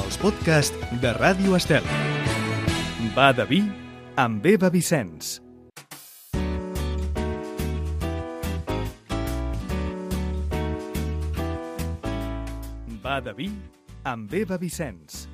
els podcasts de Ràdio Estel. Va de vi amb Eva Vicenç. Va de vi amb Eva Vicenç.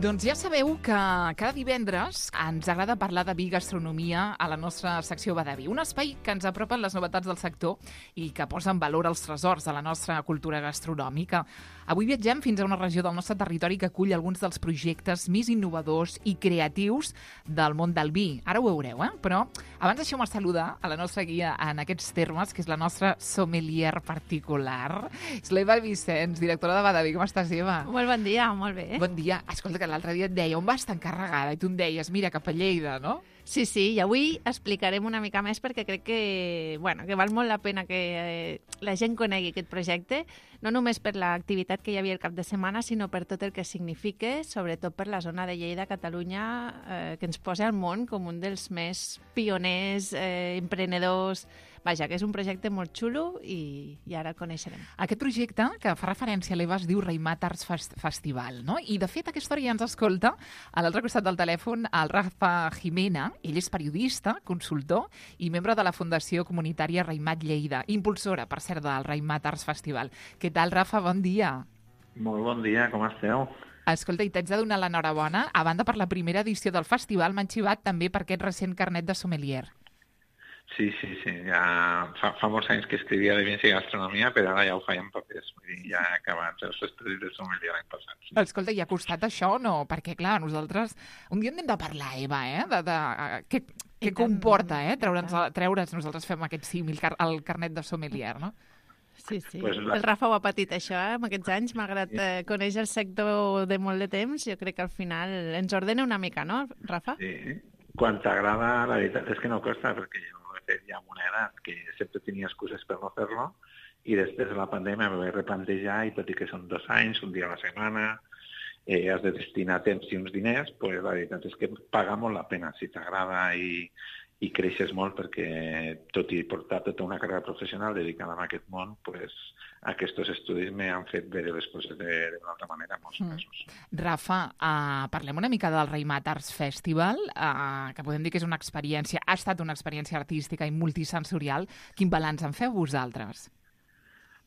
Doncs ja sabeu que cada divendres ens agrada parlar de vi i gastronomia a la nostra secció Va de vi, un espai que ens apropen les novetats del sector i que posa en valor els tresors de la nostra cultura gastronòmica. Avui viatgem fins a una regió del nostre territori que acull alguns dels projectes més innovadors i creatius del món del vi. Ara ho veureu, Però abans deixeu-me saludar a la nostra guia en aquests termes, que és la nostra sommelier particular. És l'Eva Vicenç, directora de Va de vi. Com estàs, Eva? Molt bon dia, molt bé. Bon dia. Escolta, que l'altre dia et deia, on vas tan carregada? I tu em deies, mira, cap a Lleida, no? Sí, i avui explicarem una mica més perquè crec que val molt la pena que la gent conegui aquest projecte, no només per l'activitat que hi havia el cap de setmana, sinó per tot el que significa, sobretot per la zona de Lleida, Catalunya, que ens posa al món com un dels més pioners, emprenedors. Vaja, que és un projecte molt xulo i ara el coneixerem. Aquest projecte, que fa referència a l'Eva, es diu Raimat Arts Festival, no? I, de fet, aquesta hora ja ens escolta a l'altre costat del telèfon el Rafa Jimena. Ell és periodista, consultor i membre de la Fundació Comunitària Raimat Lleida, impulsora, per cert, del Raimat Arts Festival. Què tal, Rafa? Bon dia. Molt bon dia, com esteu? Escolta, i t'haig de donar l'enhorabona. A banda, per la primera edició del festival, m'han xivat també per aquest recent carnet de sommelier. Sí, ja fa molts anys que escrivia de vins i gastronomia, però ara ja ho feia en papers, ja he acabat els estudis de sommelier l'any passat. Sí. Escolta, i ha costat això o no? Perquè, clar, nosaltres un dia hem de parlar, Eva, què comporta, treure'ns, nosaltres fem aquest símil, el carnet de sommelier, no? Sí. Pues el Rafa ho ha patit, això, en aquests anys, malgrat conèixer el sector de molt de temps, jo crec que al final ens ordena una mica, no, Rafa? Sí, quan t'agrada, la veritat és que no costa, perquè jo ho he fet ja amb una edat que sempre tenia excuses per no fer-lo, i després de la pandèmia m'ho vaig replantejar, i tot i que són 2 anys, un dia a la setmana, has de destinar temps i uns diners, pues la veritat és que paga molt la pena si t'agrada i creixes molt, perquè tot i portar tota una carrera professional dedicada a aquest món, pues, aquests estudis m'han fet veure les coses d'una altra manera en molts casos. Rafa, parlem una mica del Raimat Arts Festival, que podem dir que és una experiència, ha estat una experiència artística i multisensorial. Quin balanç en feu vosaltres?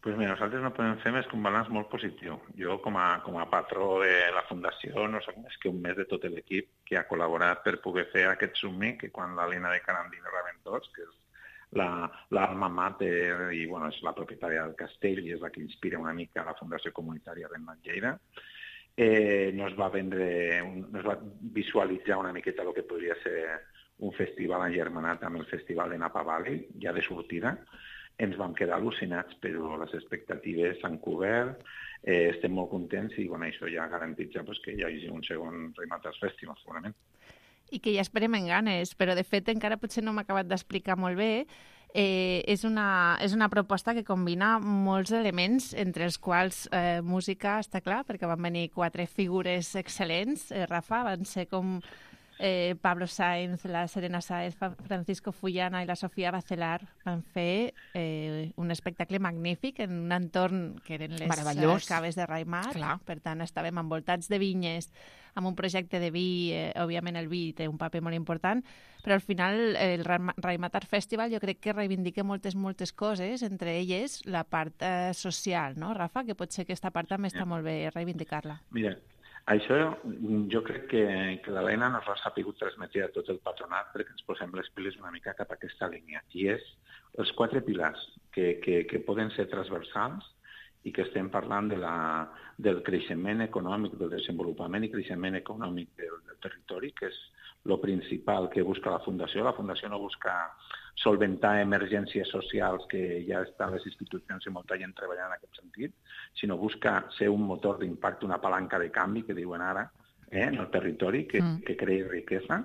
Pues mira, nosaltres no podem fer més que un balanç molt positiu. Jo, com a patró de la Fundació, no soc més que un mes de tot l'equip que ha col·laborat per poder fer aquest somni, que quan l'Helena de Carandina Raventós, que és l'alma mater i és la propietària del castell i és la que inspira una mica la Fundació Comunitària Raimat Lleida, nos va visualitzar una miqueta el que podria ser un festival engermanat amb el Festival de Napa Valley, ja de sortida. Ens vam quedar al·lucinats, però les expectatives s'han cobert, estem molt contents i això ja garantitza que hi hagi un segon Raimat Arts Festival, segurament. I que ja esperem en ganes, però de fet encara potser no m'ha acabat d'explicar molt bé. És una proposta que combina molts elements, entre els quals música, està clar, perquè van venir 4 figures excel·lents, Rafa, van ser com Pablo Sainz, la Serena Sáez, Francisco Fullana i la Sofia Bacelar van fer un espectacle magnífic en un entorn que eren les caves de Raimat. Per tant, estàvem envoltats de vinyes, amb un projecte de vi. Òbviament el vi té un paper molt important, però al final el Raimat Art Festival jo crec que reivindica moltes coses, entre elles la part social, no, Rafa? Que potser aquesta part també està molt bé reivindicar-la. Mira, això jo crec que l'Helena nos ha sapigut transmetre a tot el patronat perquè ens posem les piles una mica cap a aquesta línia. I és els 4 pilars que poden ser transversals i que estem parlant del creixement econòmic, del desenvolupament i creixement econòmic del territori, que és el principal que busca la Fundació. La Fundació no busca solventar emergències socials que ja estan les institucions i molta gent treballant en aquest sentit, sinó busca ser un motor d'impacte, una palanca de canvi, que diuen ara, en el territori, que creï riquesa.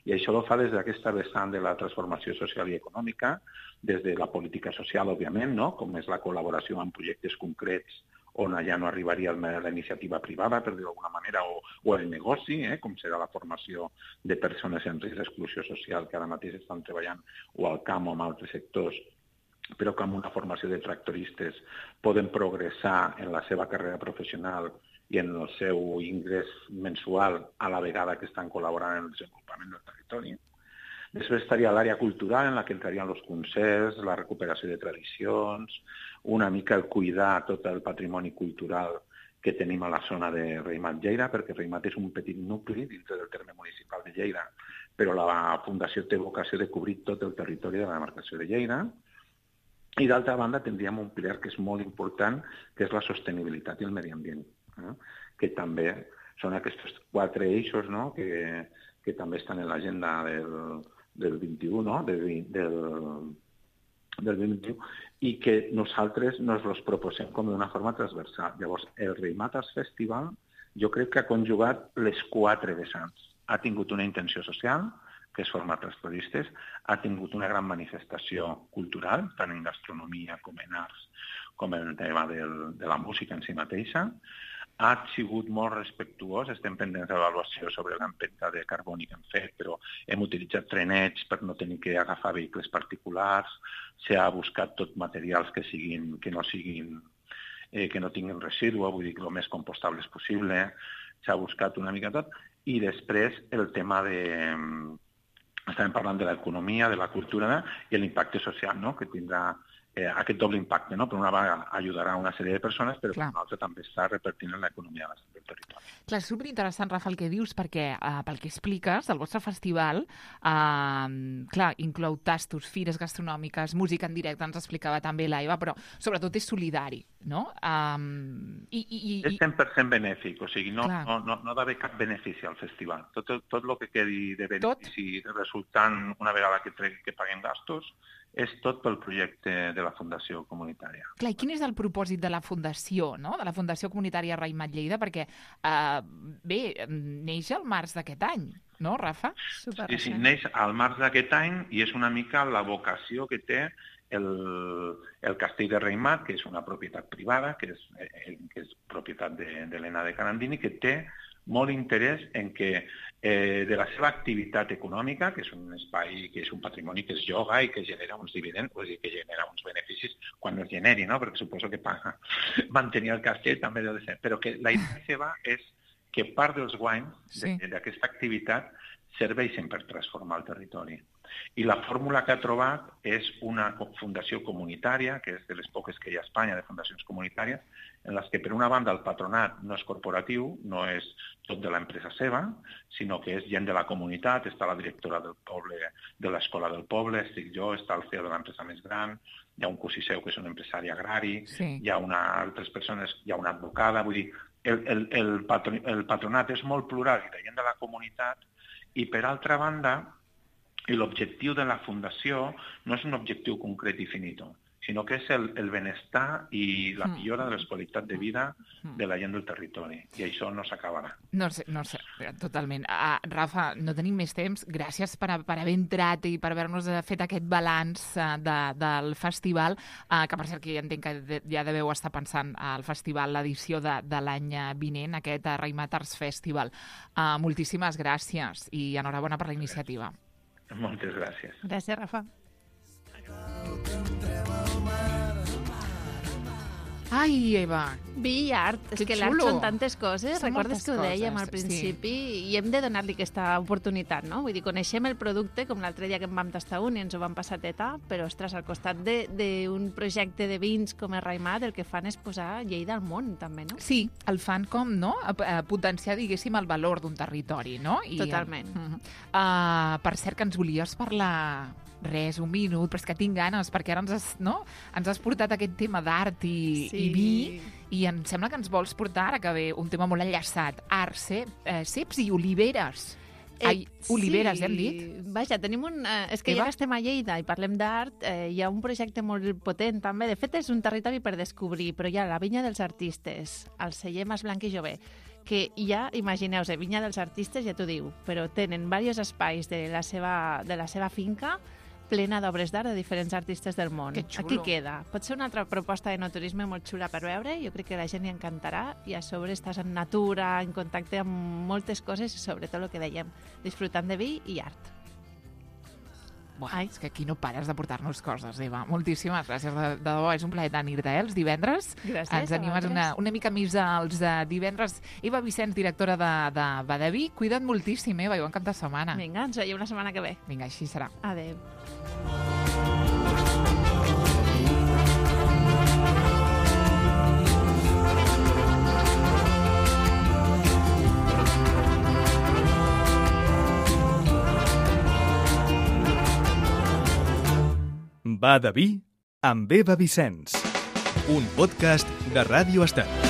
I això ho fa des d'aquesta vessant de la transformació social i econòmica, des de la política social, òbviament, no? Com és la col·laboració en projectes concrets on allà no arribaria la iniciativa privada, per dir-ho d'alguna manera, o el negoci, com serà la formació de persones en risc d'exclusió social que ara mateix estan treballant o al camp o en altres sectors però que amb una formació de tractoristes poden progressar en la seva carrera professional i en el seu ingrés mensual a la vegada que estan col·laborant en el desenvolupament del territori. Després estaria l'àrea cultural, en la que entrarien els concerts, la recuperació de tradicions, una mica el cuidar tot el patrimoni cultural que tenim a la zona de Reimat-Lleida, perquè Reimat és un petit nucli dintre del terme municipal de Lleida, però la Fundació té vocació de cobrir tot el territori de la demarcació de Lleida. I d'altra banda tindríem un pilar que és molt important, que és la sostenibilitat i el medi ambient, que també són aquests 4 eixos, no? que també estan en l'agenda del 21, no? del 21, i que nosaltres nos els proposem com d'una forma transversal. Llavors, el Reimat Arts Festival jo crec que ha conjugat les 4 vessants. Ha tingut una intenció social, que és formar tractoristes, ha tingut una gran manifestació cultural, tant en gastronomia com en arts, com en el tema de la música en si mateixa, ha sigut molt respectuós, estem pendents d'avaluació sobre l'empremta de carboni que hem fet, però hem utilitzat trenets per no tenir que agafar vehicles particulars, s'ha buscat tot materials que no tinguin residu, vull dir, el més compostables possible, s'ha buscat una mica tot, i després el tema estàvem parlant de l'economia, de la cultura i l'impacte social, no?, que tindrà aquest doble impacte, no? Per una vegada ajudarà a una sèrie de persones, però per una altra també està repartint en l'economia del territori. Clar, és superinteressant, Rafa, el que dius, perquè pel que expliques, el vostre festival inclou tastos, fires gastronòmiques, música en directe, ens explicava també l'Eva, però sobretot és solidari, no? És 100% benèfic, o sigui, no ha d'haver cap benefici al festival. Tot el que quedi de benefici resultant una vegada que paguem gastos és tot pel projecte de la Fundació Comunitària. Clar, i quin és el propòsit de la Fundació, no?, de la Fundació Comunitària Reimat-Lleida? Perquè, neix al març d'aquest any, no, Rafa? Sí, neix al març d'aquest any i és una mica la vocació que té el castell de Reimat, que és una propietat privada, que és propietat d'Helena de Carandini, que té molt interès en que de la seva activitat econòmica, que és un espai, que és un patrimoni que es lloga i que genera uns dividends, vull dir que genera uns beneficis quan es generi, no? Perquè suposo que mantenir el castell també deu de ser. Però que la idea seva és que part dels guanys d'aquesta activitat serveixen per transformar el territori. I la fórmula que ha trobat és una fundació comunitària, que és de les poques que hi ha a Espanya de fundacions comunitàries, en les que per una banda el patronat no és corporatiu, no és tot de l'empresa seva, sinó que és gent de la comunitat, està la directora del poble, de l'escola del poble, estic jo, està el CEO de l'empresa més gran, hi ha un cosí seu que és un empresari agrari, hi ha altres persones, hi ha una advocada, vull dir, el patronat és molt plural i de gent de la comunitat, i per altra banda, l'objectiu de la Fundació no és un objectiu concret i finito, sinó que és el benestar i la millora de la qualitat de vida de la gent del territori. I això no s'acabarà. No sé, totalment. Rafa, no tenim més temps. Gràcies per haver entrat i per haver-nos fet aquest balanç del festival, que per cert que ja entenc que ja deveu estar pensant al festival, l'edició de l'any vinent, aquest Reimat Arts Festival. Moltíssimes gràcies i enhorabona per la iniciativa. Moltes gràcies. Gràcies, Rafa. Ai, Eva! Vi i art. És que l'art són tantes coses. Recordes que ho dèiem al principi i hem de donar-li aquesta oportunitat, no? Vull dir, coneixem el producte, com l'altre dia que en vam tastar un i ens ho vam passar teta, però, ostres, al costat d'un projecte de vins com el Reimat, el que fan és posar Lleida al món, també, no? Sí, el fan com, no?, potenciar, diguéssim, el valor d'un territori, no? Totalment. Per cert, que ens volies parlar... Res, un minut, però és que tinc ganes, perquè ara ens has portat aquest tema d'art i vi, i em sembla que ens vols portar, ara que ve un tema molt enllaçat, art, ceps i oliveres. Oliveres, hem dit? Vaja, tenim és que ja que estem a Lleida i parlem d'art, hi ha un projecte molt potent també. De fet, és un territori per descobrir, però hi ha la Vinya dels Artistes, el celler Mas Blanc i Jové, que ja, imagineu-vos, Vinya dels Artistes ja t'ho diu, però tenen diversos espais de la seva finca plena d'obres d'art de diferents artistes del món. Aquí queda. Pot ser una altra proposta de no turisme molt xula per veure, jo crec que la gent hi encantarà, i a sobre estàs en natura, en contacte amb moltes coses i sobretot el que dèiem, disfrutant de vi i art. És que aquí no pares de portar-nos coses, Eva. Moltíssimes gràcies, de debò, és un plaer tenir-te, els divendres. Gràcies, ens animes una mica més als divendres. Eva Vicenç, directora de Badaví, cuida't moltíssim, Eva, i bon cap de setmana. Vinga, ens veiem la setmana que ve. Vinga, així serà. Adéu. Badaví amb Eva Vicenç, un podcast de Ràdio Estel.